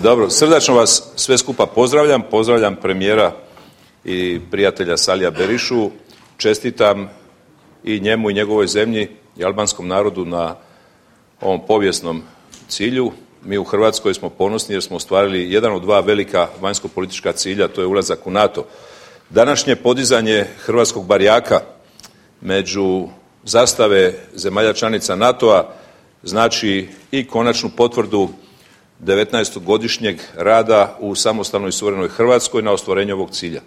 Dobro, srdačno vas sve skupa pozdravljam premijera i prijatelja Salija Berišu, čestitam i njemu i njegovoj zemlji i albanskom narodu na ovom povijesnom cilju. Mi u Hrvatskoj smo ponosni jer smo ostvarili jedan od dva velika vanjsko-politička cilja, to je ulazak u NATO. Današnje podizanje hrvatskog barjaka među zastave zemalja članica NATO-a znači i konačnu potvrdu 19-godišnjeg rada u samostalnoj i suverenoj Hrvatskoj na ostvarenju ovog cilja.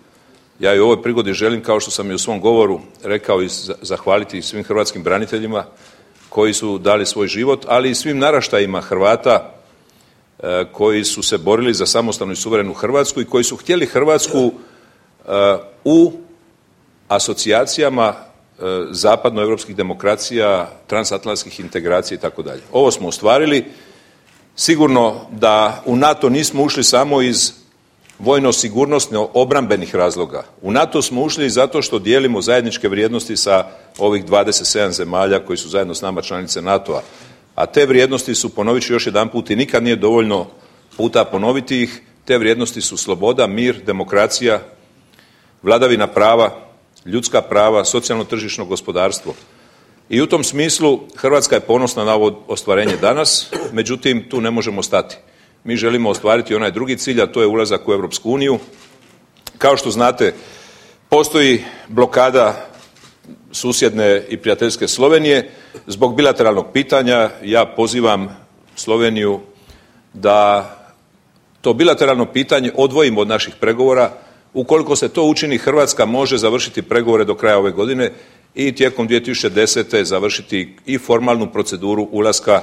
Ja i u ovoj prigodi želim, kao što sam i u svom govoru rekao, i zahvaliti svim hrvatskim braniteljima koji su dali svoj život, ali i svim naraštajima Hrvata koji su se borili za samostalnu i suverenu Hrvatsku i koji su htjeli Hrvatsku u asocijacijama zapadnoevropskih demokracija, transatlantskih integracija itd. Ovo smo ostvarili. Sigurno da u NATO nismo ušli samo iz vojno-sigurnosno-obrambenih razloga. U NATO smo ušli zato što dijelimo zajedničke vrijednosti sa ovih 27 zemalja koji su zajedno s nama članice NATO-a. A te vrijednosti su, ponovit ću još jedanput i nikad nije dovoljno puta ponoviti ih, te vrijednosti su sloboda, mir, demokracija, vladavina prava, ljudska prava, socijalno-tržišno gospodarstvo. I u tom smislu Hrvatska je ponosna na ovo ostvarenje danas, međutim tu ne možemo stati. Mi želimo ostvariti onaj drugi cilj, a to je ulazak u Europsku uniju. Kao što znate, postoji blokada susjedne i prijateljske Slovenije zbog bilateralnog pitanja. Ja pozivam Sloveniju da to bilateralno pitanje odvojimo od naših pregovora. Ukoliko se to učini, Hrvatska može završiti pregovore do kraja ove godine i tijekom 2010. završiti i formalnu proceduru ulaska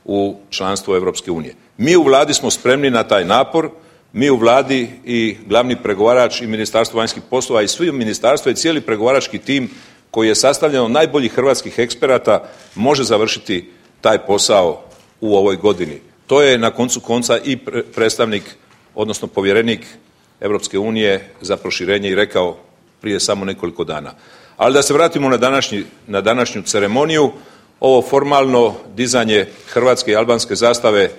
u članstvo Europske unije. Mi u Vladi smo spremni na taj napor, mi u Vladi i glavni pregovarač i Ministarstvo vanjskih poslova i svi ministarstva i cijeli pregovarački tim koji je sastavljen od najboljih hrvatskih eksperata može završiti taj posao u ovoj godini. To je na koncu konca i predstavnik, odnosno povjerenik Europske unije za proširenje i rekao prije samo nekoliko dana. Ali da se vratimo na današnju ceremoniju, ovo formalno dizanje hrvatske i albanske zastave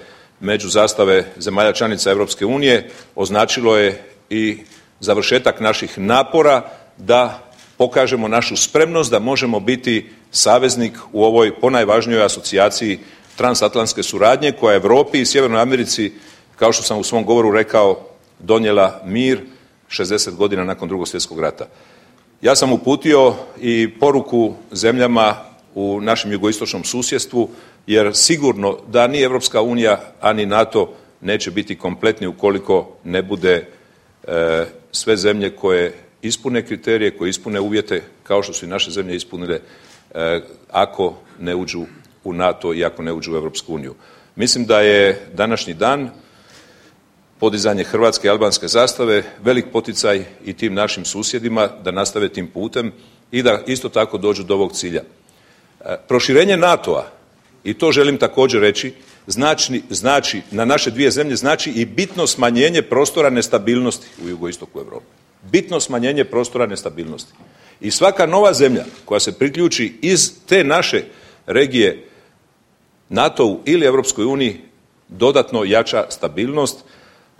među zastave zemalja članica Europske unije označilo je i završetak naših napora da pokažemo našu spremnost da možemo biti saveznik u ovoj ponajvažnijoj asocijaciji transatlantske suradnje koja je Europi i Sjevernoj Americi, kao što sam u svom govoru rekao, donijela mir 60 godina nakon Drugog svjetskog rata. Ja sam uputio i poruku zemljama u našem jugoistočnom susjedstvu, jer sigurno da ni Europska unija, a ni NATO neće biti kompletni ukoliko ne bude sve zemlje koje ispune kriterije, koje ispune uvjete, kao što su i naše zemlje ispunile, ako ne uđu u NATO i ako ne uđu u Europsku uniju. Mislim da je današnji dan, podizanje hrvatske i albanske zastave, velik poticaj i tim našim susjedima da nastave tim putem i da isto tako dođu do ovog cilja. Proširenje NATO-a, i to želim također reći, znači na naše dvije zemlje znači i bitno smanjenje prostora nestabilnosti u jugoistoku Europe. Bitno smanjenje prostora nestabilnosti. I svaka nova zemlja koja se priključi iz te naše regije NATO-u ili Europskoj uniji dodatno jača stabilnost,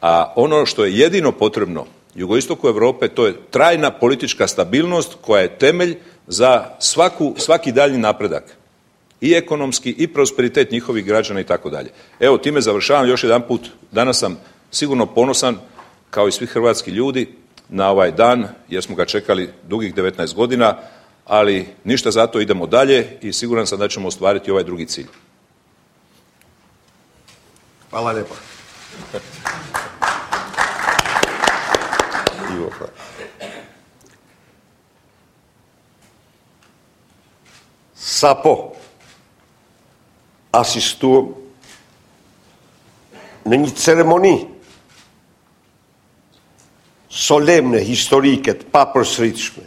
a ono što je jedino potrebno jugoistoku Europe to je trajna politička stabilnost koja je temelj za svaki daljnji napredak. I ekonomski i prosperitet njihovih građana i tako dalje. Evo, time završavam još jedan put. Danas sam sigurno ponosan, kao i svi hrvatski ljudi, na ovaj dan, jer smo ga čekali dugih 19 godina, ali ništa zato, idemo dalje i siguran sam da ćemo ostvariti ovaj drugi cilj. Hvala lijepa. Sapo asistuam në një ceremoni solemne, historike, të papërsëritshme.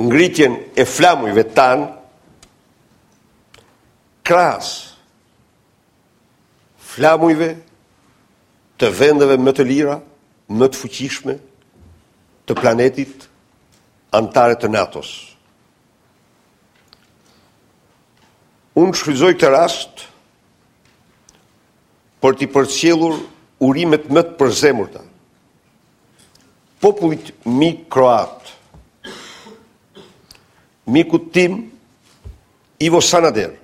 Ngritjen e flamujve tanë krahas flamujve të vendeve më të lira, më të fuqishme të planetit anëtare të NATO-s. Unë shfrytëzoj këtë rast për t'i përcjellur urimet më të përzemurta. Popullit mi kroat, mikut tim Ivo Sanader,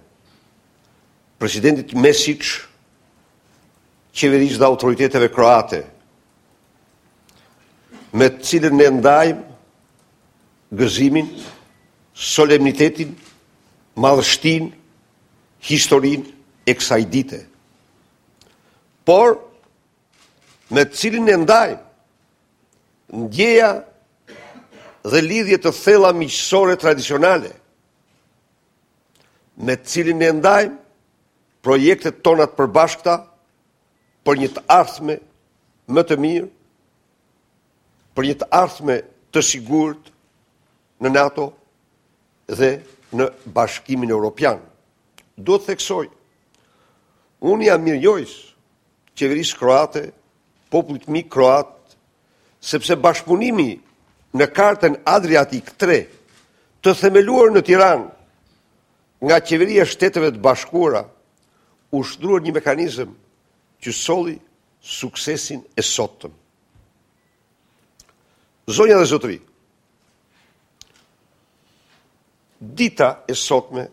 presidentit Mesic, qeverisë dhe autoriteteve kroate, me të cilën ne ndajmë gëzimin, solemnitetin, madhështin, historin e kësaj dite. Por, me të cilën ne ndajmë ndjeja dhe lidhje të thella miqësore tradicionale, me të cilin ne ndajmë projektet tona të përbashkëta për një të ardhme më të mirë, për një të ardhme të sigurt në NATO dhe në Bashkimin Evropian. Do të theksoj, unë jam mirënjohës qeverisë kroate, popullit mi kroat, sepse bashkëpunimi në kartën Adriatik 3, të themeluar në Tiranë nga qeveria Shteteve të Bashkuara, u shtruar një mekanizëm që solli suksesin e sotëm. Zonja dhe zotëri, dita e sotme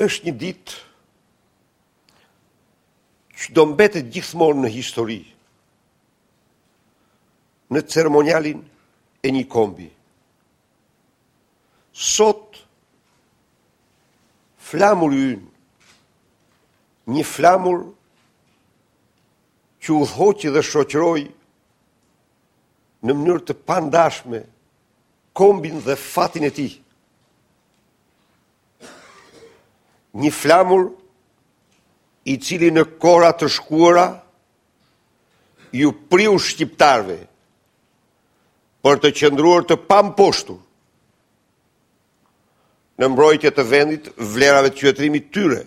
është një ditë që do mbetet gjithmonë në histori, në ceremonialin e një kombi. Sot, flamur ynë, një flamur që udhëhoqi dhe shoqëroi në mënyrë të pandashme kombin dhe fatin e tij. Një flamur i cili në kohra të shkuara ju priu shqiptarve për të qëndruar të pamposhtur në mbrojtje të vendit, vlerave të qytetërimit tyre.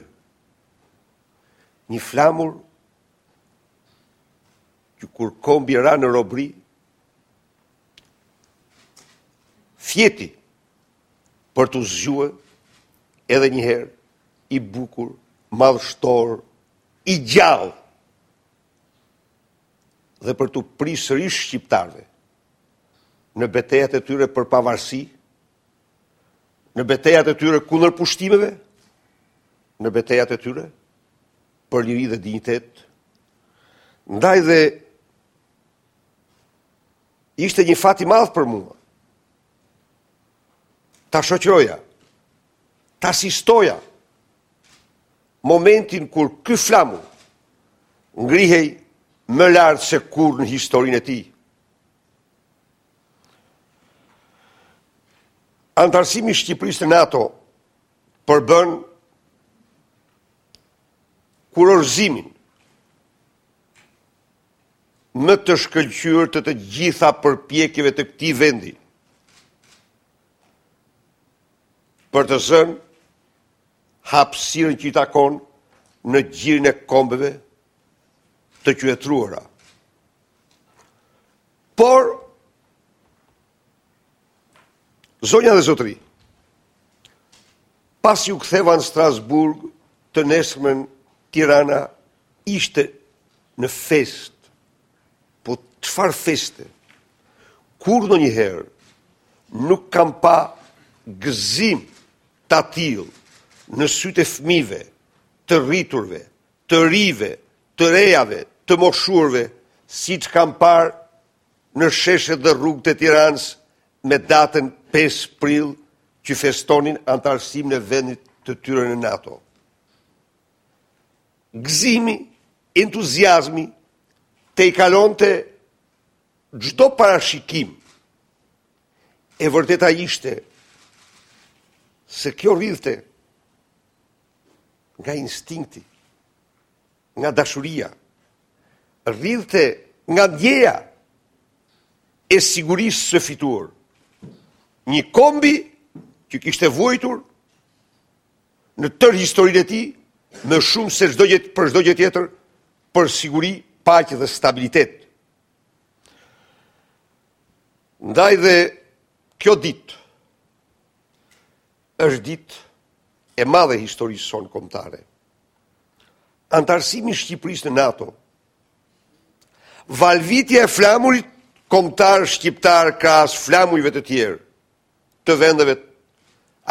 Një flamur që kur kombi ra në robri, fjeti për të zgjuar edhe një herë i bukur, madhështor, i gjallë dhe për të prirë sërish shqiptarve në betejat e tyre për pavarësi, në betejat e tyre kundër pushtimeve, në betejat e tyre për liri dhe dinjitet. Ndaj dhe ishte një fat i madh për mua ta shoqëroja, ta asistoja momentin kur ky flamur ngrihej më lart se kur në historinë e tij. Antarësimi i Shqipërisë në NATO përbën kurorëzimin më të shkëlqyer të gjitha përpjekjeve të këtij vendi për të zënë hapësirën që i takon në gjirin e kombeve të qytetruara. Por, zonja dhe zotëri, pasi u ktheva në Strasburg, të nesërmen Tirana ishte në fest, po çfarë feste? Kur ndonjëherë nuk kam pa gëzim të tillë në sytë e fëmijëve, të rriturve, të rive, të rejave, të moshurve, siç kam parë në sheshet dhe rrugët e Tiranës me datën 5 prill që festonin antarësimin e vendit të tyre në NATO. Gëzimi, entuziazmi te i kalonte çdo parashikim. E vërteta ishte se kjo rridhte nga instinkti, nga dashuria, rridhte nga ndjeja e sigurisë së fituar. Një kombi që kishte vuajtur në tërë historinë e tij më shumë se për çdo gjë tjetër për siguri, paqe dhe stabilitet. Ndaj dhe kjo ditë është ditë e madhe historisë sonë kombëtare. antarësimi i Shqipërisë në NATO, valvitja e flamurit kombëtar shqiptar krahas flamujve të tjerë të vendeve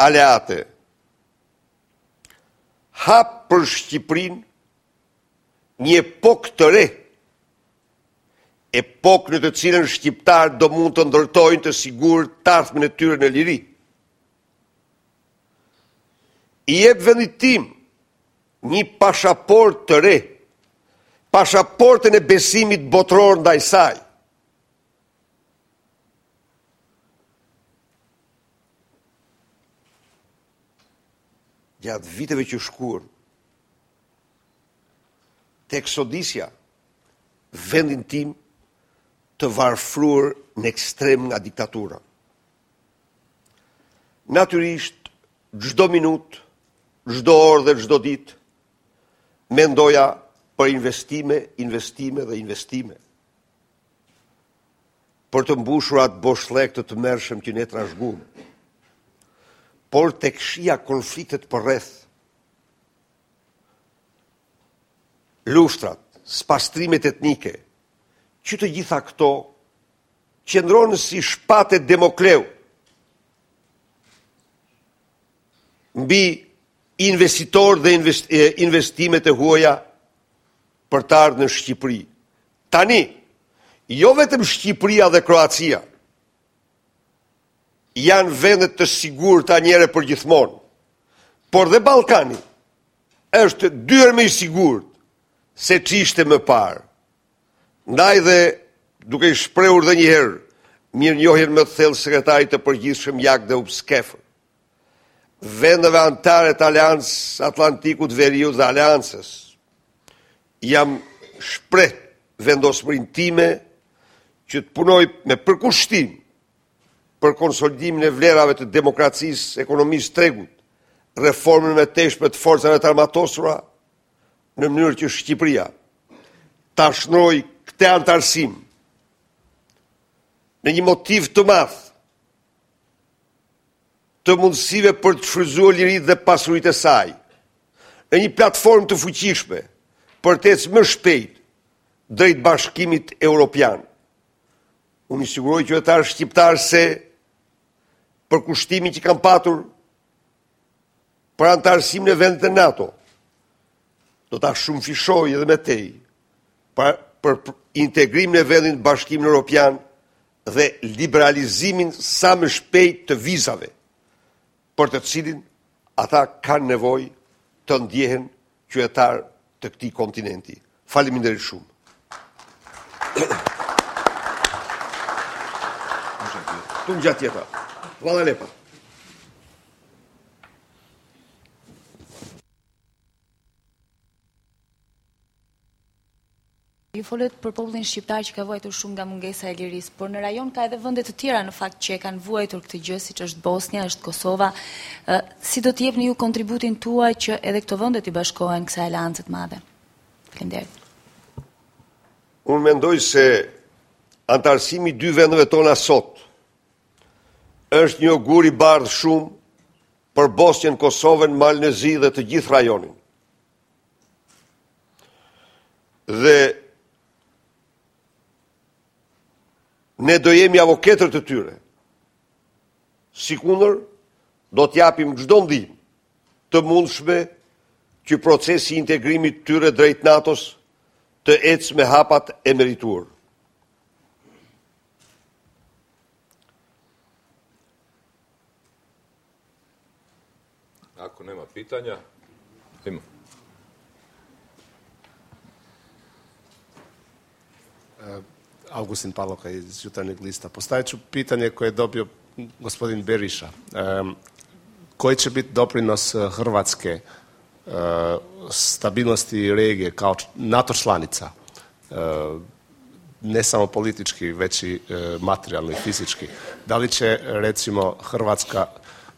aleate, hap për Shqipërinë një epokë të re, epokë në të cilën shqiptarët do mund të ndërtojnë të sigurt të ardhmen e tyre në liri. I jep vendit tim një pashaport të re, pashaportën e besimit botëror ndaj saj. Gjatë viteve që shkuan, tek sodisja, vendin tim të varfruar në ekstrem nga diktatura. Natyrisht, çdo minutë, çdo orë dhe çdo ditë, mendoja për investime dhe investime. Për të mbushur atë boshllëk të tmerrshëm që ne trashëguam. Por tek shija konfliktet përreth, lushtrat, spastrimet etnike, që të gjitha këto qëndronë si shpate Demokleu mbi investitor dhe investimet e huaja për të ardhur në Shqipëri. Tani, jo vetëm Shqipëria dhe Kroacia janë vendet të sigurta njëre për gjithmonë, por dhe Ballkani është 2 herë më i sigurt se ç'ishte më parë. Ndaj dhe, duke i shprehur dhe njëherë mirënjohjen më të thellë sekretarit të përgjithshëm Jak dhe Upskefër, vendeve anëtare të Aleancës Atlantikut Veriut dhe Aleancës, jam shpreh vendosmërinë time që të punoj me përkushtim për konsolidimin e vlerave të demokracisë, ekonomisë tregut, reformën me teshme të forcave të armatosura, në mënyrë që Shqipëria ta shnoj këtë antarësim në një motiv të madh të mundësive për të shfrytzuar liritë dhe pasuritë e saj, në një platformë të fuqishme për të ecë më shpejt drejt bashkimit evropian. Unë i siguroj qytetarë shqiptarë se për kushtimin që kam patur për antarësimin e vendet e NATO, do ta shumëfishoj edhe me tej për integrimin e vendit në Bashkimin Evropian dhe liberalizimin sa më shpejt të vizave, për të cilin ata kanë nevojë të ndjehen qytetar të këtij kontinenti. Faleminderit shumë. Tu gjatë tjetra. Hvala lepa. Ju folet për popullin shqiptar që ka vuajtur shumë nga mungesa e lirisë, por në rajon ka edhe vende të tjera në fakt që e kanë vuajtur këtë gjë, siç është Bosnia, është Kosova. Si do të jepni ju kontributin tuaj që edhe këto vende të bashkohen kësaj aleance të madhe? Faleminderit. Unë mendoj se antarësimi i 2 vendeve tona sot është një augur i bardhë shumë për Bosnjën, Kosovën, Malnezi dhe të gjithë rajonin. Dhe ne do jemi avokatër të tyre. Sikundër, do t'japim çdo ndihmë të mundshme që procesi i integrimit të tyre drejt NATO-s të ecë me hapat e merituar. Ako nema pitanja, ima. Augustin Paloka iz Jutarnjeg lista. Postavit ću pitanje koje je dobio gospodin Beriša. Koji će biti doprinos Hrvatske stabilnosti regije kao NATO članica? Ne samo politički, već i materijalno i fizički. Da li će, recimo, Hrvatska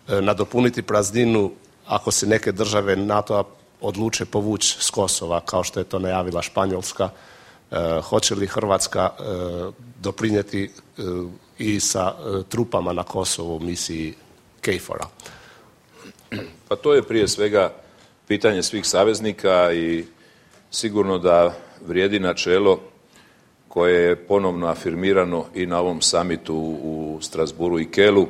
nadopuniti prazninu ako se neke države NATO-a odluče povući s Kosova, kao što je to najavila Španjolska? Hoće li Hrvatska doprinijeti i sa trupama na Kosovu u misiji KFOR-a? Pa to je prije svega pitanje svih saveznika i sigurno da vrijedi načelo koje je ponovno afirmirano i na ovom samitu u Strasbourgu i Kelu.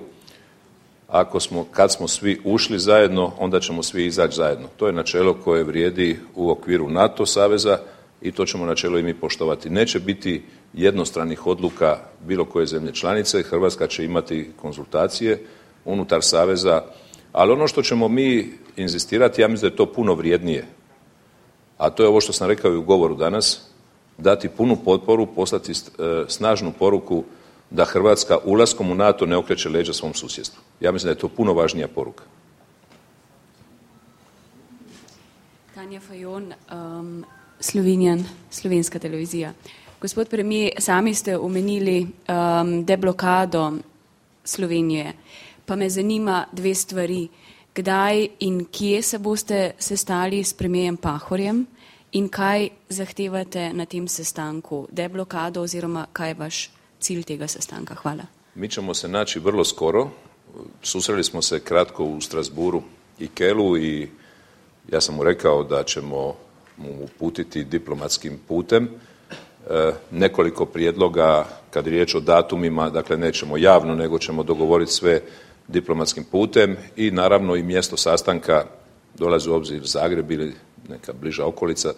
Kad smo svi ušli zajedno, onda ćemo svi izaći zajedno. To je načelo koje vrijedi u okviru NATO saveza i to ćemo načelo i mi poštovati. Neće biti jednostranih odluka bilo koje zemlje članice. Hrvatska će imati konzultacije unutar saveza, ali ono što ćemo mi inzistirati, ja mislim da je to puno vrijednije, a to je ovo što sam rekao i u govoru danas, dati punu potporu, poslati snažnu poruku da Hrvatska ulaskom u NATO ne okreće leđa svom susjedstvu. Ja mislim da je to puno važnija poruka. Tanja Fajon, slovenska televizija. Gospod premijer, sami ste omenili deblokado Slovenije, pa me zanima dve stvari. Kdaj in kje se boste sestali s premijerjem Pahorjem in kaj zahtevate na tem sestanku? Deblokado oziroma kaj je vaš cilj tega sestanka? Hvala. Mi ćemo se naći vrlo skoro. Susreli smo se kratko u Strasbourgu i Kelu i ja sam mu rekao da ćemo mu uputiti diplomatskim putem nekoliko prijedloga kad je riječ o datumima, dakle nećemo javno, nego ćemo dogovoriti sve diplomatskim putem i naravno i mjesto sastanka dolazi u obzir Zagreb ili neka bliža okolica.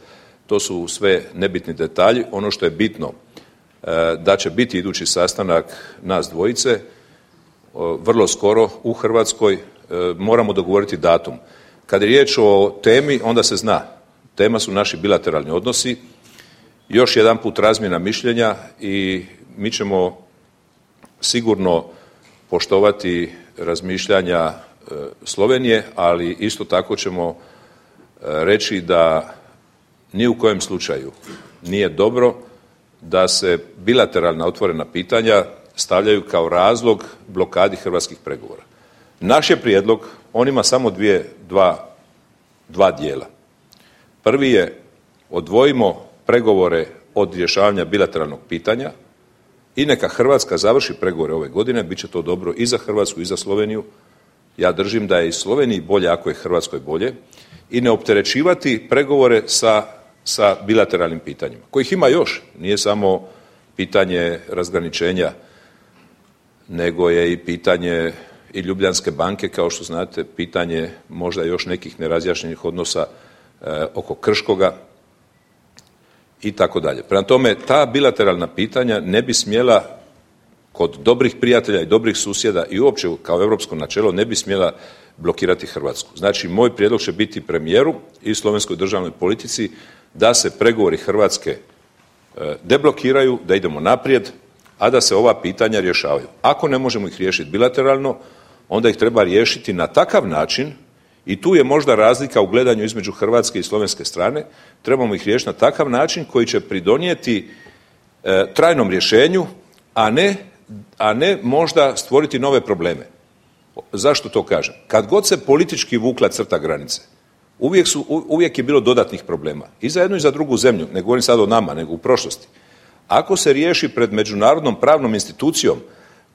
To su sve nebitni detalji. Ono što je bitno da će biti idući sastanak nas dvojice vrlo skoro u Hrvatskoj. Moramo dogovoriti datum. Kad je riječ o temi, onda se zna. Tema su naši bilateralni odnosi. Još jedan put razmjena mišljenja i mi ćemo sigurno poštovati razmišljanja Slovenije, ali isto tako ćemo reći da ni u kojem slučaju nije dobro da se bilateralna otvorena pitanja stavljaju kao razlog blokadi hrvatskih pregovora. Naš je prijedlog, on ima samo dva dijela. Prvi je odvojimo pregovore od rješavanja bilateralnog pitanja i neka Hrvatska završi pregovore ove godine, bit će to dobro i za Hrvatsku i za Sloveniju. Ja držim da je i Sloveniji bolje ako je Hrvatskoj bolje i ne opterećivati pregovore sa bilateralnim pitanjima, kojih ima još. Nije samo pitanje razgraničenja, nego je i pitanje i Ljubljanske banke, kao što znate, pitanje možda još nekih nerazjašnjenih odnosa oko Krškoga i tako dalje. Prema tome, ta bilateralna pitanja ne bi smjela kod dobrih prijatelja i dobrih susjeda i uopće kao europsko načelo ne bi smjela blokirati Hrvatsku. Znači, moj prijedlog će biti premijeru i slovenskoj državnoj politici da se pregovori Hrvatske deblokiraju, da idemo naprijed, a da se ova pitanja rješavaju. Ako ne možemo ih riješiti bilateralno, onda ih treba riješiti na takav način i tu je možda razlika u gledanju između hrvatske i slovenske strane. Trebamo ih riješiti na takav način koji će pridonijeti trajnom rješenju, a ne možda stvoriti nove probleme. Zašto to kažem? Kad god se politički vukla crta granice, uvijek je bilo dodatnih problema. I za jednu i za drugu zemlju, ne govorim sad o nama, nego u prošlosti. Ako se riješi pred međunarodnom pravnom institucijom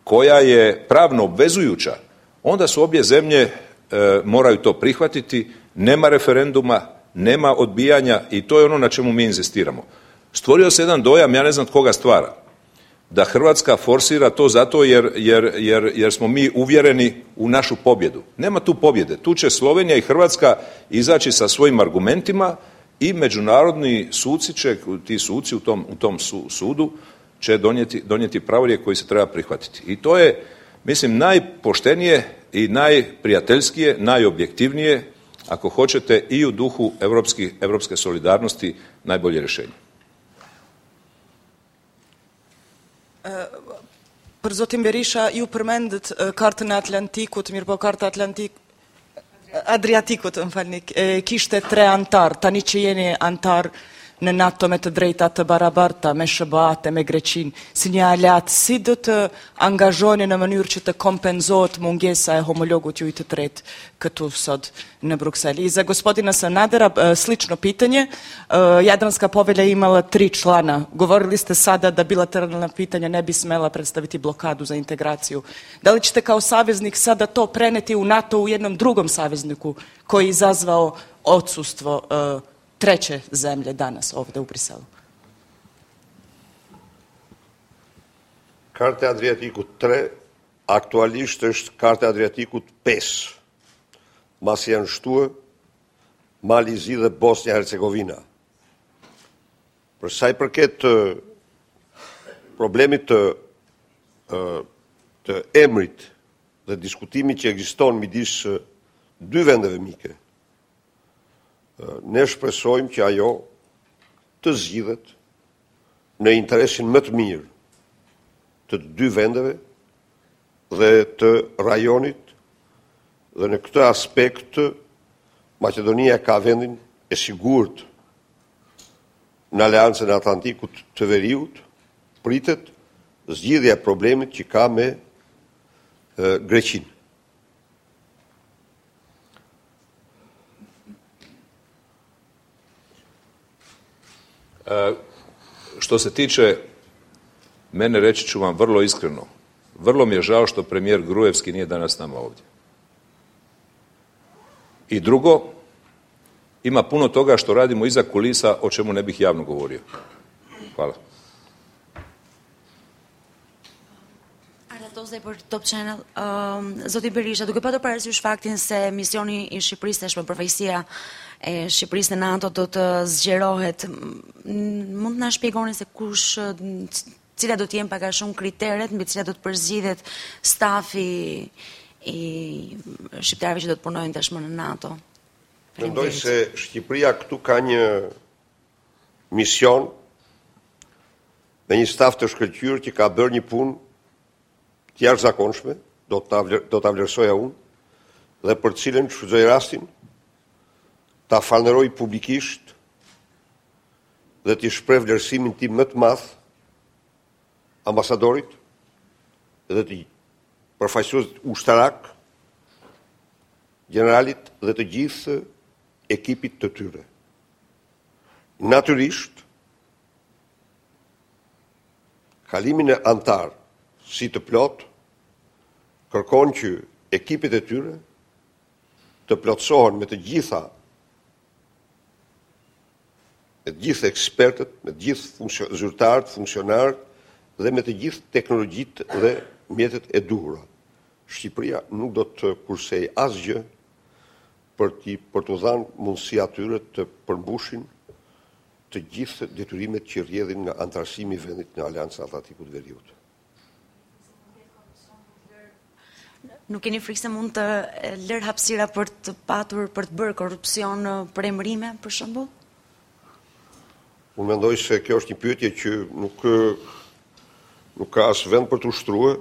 koja je pravno obvezujuća, onda su obje zemlje moraju to prihvatiti, nema referenduma, nema odbijanja i to je ono na čemu mi inzistiramo. Stvorio se jedan dojam, ja ne znam tko ga stvara, da Hrvatska forsira to zato jer smo mi uvjereni u našu pobjedu. Nema tu pobjede. Tu će Slovenija i Hrvatska izaći sa svojim argumentima i međunarodni suci će, ti suci u tom sudu će donijeti pravorijek koji se treba prihvatiti. I to je, mislim, najpoštenije i najprijateljskije, najobjektivnije, ako hoćete, i u duhu evropske solidarnosti najbolje rješenje. Për zotin Berisha, ju përmendët kartën e Atlantikut, mirë po karta Adriatikut, më falni, kishte 3 antar, tani që jeni antar në NATO me të drejta të barabarta, me SBA-t, me Greqin, si një aleat, si do të angazhoni në mënyrë që të kompenzohet mungesa e homologut ju i të tretë këtu sot në Bruksel? I za gospodina Sanadera, slično pitanje, Jadranska povelja imala 3 člana. Govorili ste sada da bilateralna pitanja ne bi smela predstaviti blokadu za integraciju. Da li ćete kao saveznik sada to preneti u NATO u jednom drugom savezniku koji je izazvao odsustvo treće zemlje danas ovdje u Briselu? Karta e Adriatikut 3 aktualisht është Karta e Adriatikut 5. Masi janë shtuar Mali Zi dhe Bosnia-Hercegovina. Për sa i përket problemit të emrit dhe diskutimit që ekziston midis dy vendeve mike, ne shpresojmë që ajo të zgjidhet në interesin më të mirë të dy vendeve dhe të rajonit, dhe në këtë aspekt Maqedonia ka vendin e sigurt në Aleancën e Atlantikut të Veriut, pritet zgjidhja e problemit që ka me Greqinë. Što se tiče mene, reći ću vam vrlo iskreno, vrlo mi je žao što premijer Gruevski nije danas s nama ovdje. I drugo, ima puno toga što radimo iza kulisa o čemu ne bih javno govorio. Hvala. Aratoze për Top Channel. Zoti Berisha, duke patur parasysh faktin se misioni i Shqipërisë tashmë përfaqësia e Shqipërisë në NATO do të zgjerohet, mund të na shpjegoni se kush, cilat do të jenë pak a shumë kriteret mbi cilat do të përzgjidhet stafi i shqiptarëve që do të punojnë tashmë në NATO? Mendoj se Shqipëria këtu ka një mision me një staf të shkëlqyer që ka bërë një punë të jashtëzakonshme, do ta vlerësoja unë, dhe për cilën shfrytëzoj rastin ta falënderoj publikisht dhe t'i shpreh vlerësimin tim më të madh ambasadorit dhe t'i përfaqësuesit ushtarak, generalit dhe të gjithë ekipit të tyre. Natyrisht, kalimin e antar si të plot kërkon që ekipet e tyre të plotësohen me të gjitha ekspertët, me të gjithë zyrtarët, funksionarët dhe me të gjithë teknologjitë dhe mjetet e duhura. Shqipëria nuk do të kursej asgjë për të dhënë mundësi atyre të përmbushin të gjithë detyrimet që rrjedhin nga antarësimi i vendit në Aleancën Atlantikut të Veriut. Nuk keni frikë se mund të lërë hapësira për të bërë korrupsion për emërime, për shembull? Unë mendoj se kjo është një pyetje që nuk ka as vend për të ushtruar,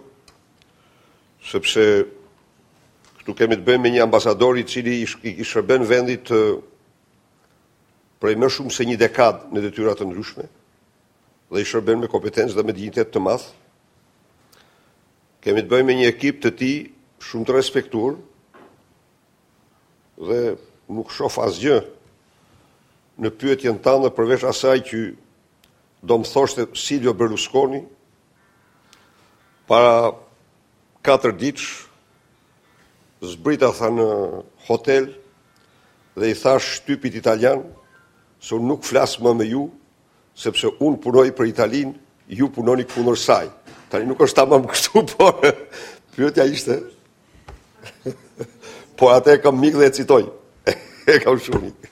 sepse këtu kemi të bëjmë me një ambasador i cili i shërben vendit prej më shumë se një dekadë në detyra të ndryshme dhe i shërben me kompetencë dhe me dinjitet të madh. Kemi të bëjmë me një ekip të tij shumë të respektuar dhe nuk shoh asgjë në pyetjen tënde përveç asaj që do më thoshte Silvio Berlusconi para 4 ditësh zbrita tha në hotel dhe i thash shtypit italian se unë nuk flas më me ju sepse unë punoj për Italinë, ju punoni kundër saj. Tani nuk është tamam kështu, por pyetja ishte por atë kam mik dhe e citoj. E kam shumë mik.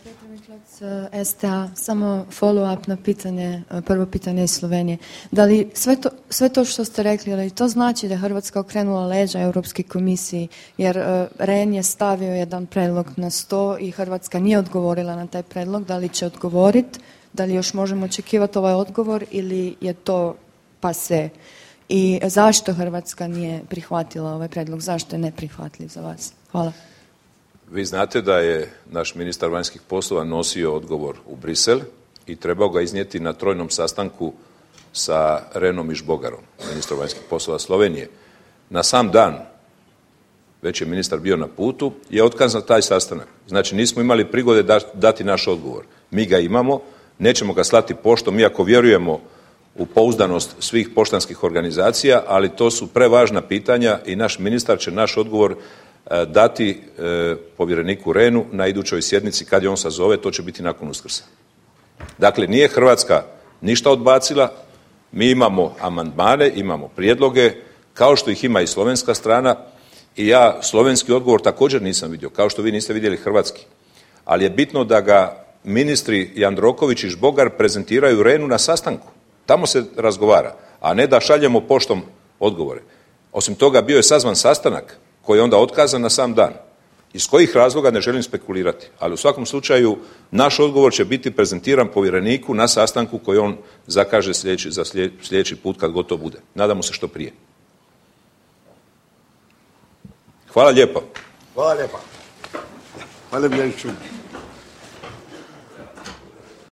Petro Miklac, STA, samo follow-up na pitanje, prvo pitanje iz Slovenije. Da li sve to što ste rekli, ali to znači da je Hrvatska okrenula leđa Europskoj komisiji, jer Rehn je stavio jedan predlog na sto i Hrvatska nije odgovorila na taj predlog, da li će odgovoriti, da li još možemo očekivati ovaj odgovor ili je to pase? I zašto Hrvatska nije prihvatila ovaj predlog, zašto je neprihvatljiv za vas? Hvala. Vi znate da je naš ministar vanjskih poslova nosio odgovor u Brisel i trebao ga iznijeti na trojnom sastanku sa Rehnom i Žbogarom, ministrom vanjskih poslova Slovenije. Na sam dan, već je ministar bio na putu, je otkazan taj sastanak. Znači nismo imali prigode dati naš odgovor. Mi ga imamo, nećemo ga slati poštom, iako vjerujemo u pouzdanost svih poštanskih organizacija, ali to su prevažna pitanja i naš ministar će naš odgovor dati povjereniku Rehnu na idućoj sjednici kad je on sazove, to će biti nakon Uskrsa. Dakle, nije Hrvatska ništa odbacila, mi imamo amandmane, imamo prijedloge, kao što ih ima i slovenska strana i ja slovenski odgovor također nisam vidio, kao što vi niste vidjeli hrvatski. Ali je bitno da ga ministri Jandroković i Žbogar prezentiraju Rehnu na sastanku. Tamo se razgovara, a ne da šaljemo poštom odgovore. Osim toga, bio je sazvan sastanak koji je onda otkazan na sam dan. Iz kojih razloga ne želim spekulirati, ali u svakom slučaju naš odgovor će biti prezentiran povjereniku na sastanku koji on zakaže za sljedeći put kad gotovo bude. Nadamo se što prije. Hvala lijepo. Hvala lijepa. Hvala lijepa.